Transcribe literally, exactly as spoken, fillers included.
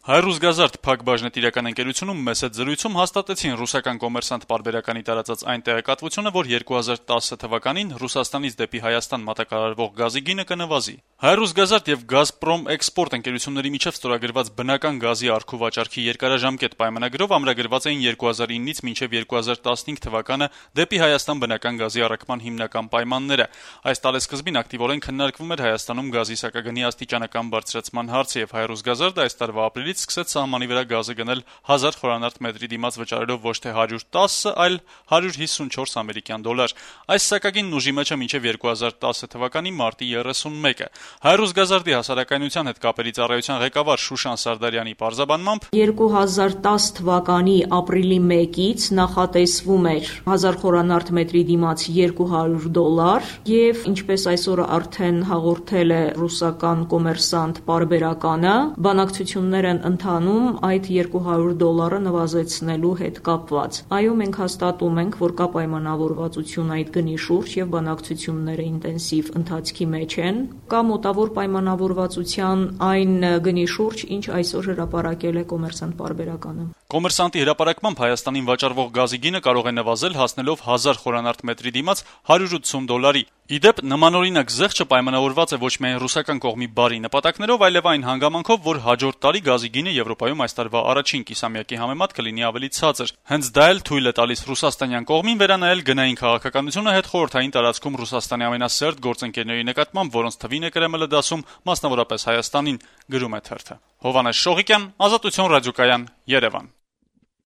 Հայ-Ռուսգազարդ փակ բաժնետիրական ընկերությունում մեծ հետ զրույցում հաստատեցին ռուսական կոմերսանտ պարբերականի տարածած այն տեղեկատվությունը, որ երկու հազար տասը թվականին Ռուսաստանից դեպի Հայաստան մատակարարվող գազի գինը կնվազի։ Հայ-Ռուսգազարդ եւ Գազպրոմ Էքսպորտ ընկերությունների միջեւ ստորագրված բնական գազի առք ու վաճառքի երկարաժամկետ պայմանագրով ամրագրված էին երկու հազար իննից մինչեւ երկու հազար տասնհինգ թվականը դեպի Հայաստան բնական գազի առաքման հիմնական պայմանները։ Այս տարեսկզբին ակտիվորեն քննարկվում էր Հայաստանում գազի սակագնի աստիճանական բարձրացման հարցը եւ Հայ-Ռուսգազարդը այս տարվա ապրիլից սկսեց սահմանի վրա գազը գնել հազար խորանարդ մետրի դիմաց վճարելով ոչ թե հարյուր տասը, այլ հարյուր հիսունչորս ամերիկյան դոլար։ Այս սակագինն ուժի մեջ է մինչև երկու հազար տասը թվականի մարտի երեսունմեկը։ Հայ-Ռուսգազարդի հասարակայնության հետ կապերի ծառայության ղեկավար Շուշան Սարդարյանի պարզաբանմամբ երկու հազար տասը թվականի ապրիլի մեկից նախատեսվում էր հազար խորանարդ մետրի դիմաց երկու հարյուր դոլար եւ ինչպես այսօր արդեն հաղորդել է ռուսական կոմերսանտ պարբերականը, բանակցություններ են ընթանում այդ երկու հարյուր դոլարը նվազեցնելու հետ կապված։ Այո, մենք հաստատում ենք, որ կա պայմանավորվածություն այդ գնի շուրջ եւ բանակցությունները ինտենսիվ ընթացքի մեջ են։ Կա մոտավոր պայմանավորվածության այն գնի շուրջ, ինչ այսօր հրապարակել է կոմերսանտ պարբերականը։ Կոմերսանտի հրապարակմամբ Հայաստանին վաճառվող գազի գինը կարող է նվազել հասնելով հազար խորանարդ մետրի դիմաց հարյուր ութսուն դոլարի։ Ի դեպ, նմանօրինակ զեղչը պայմանավորված է ոչ միայն ռուսական կողմի բարի նպատակներով, այլև այն հանգամանքով, որ հաջորդ տարի գազի գինը Եվրոպայում այս տարվա առաջին կիսամյակի համեմատ կլինի ավելի ցածր։ Հենց դա էլ թույլ է տալիս ռուսաստանյան կողմին վերանայել գնային քաղաքականությունը հետխորհրդային տարածքում Ռուսաստանի ամենասերտ գործընկերների նկատմամբ, որոնց թվին է Կրեմլը դասում, մասնավորապես Հայաստանին, գրում է թերթը։ Հովհաննես Շողիկյան, Ազատություն ռադիոկայան, Երևան։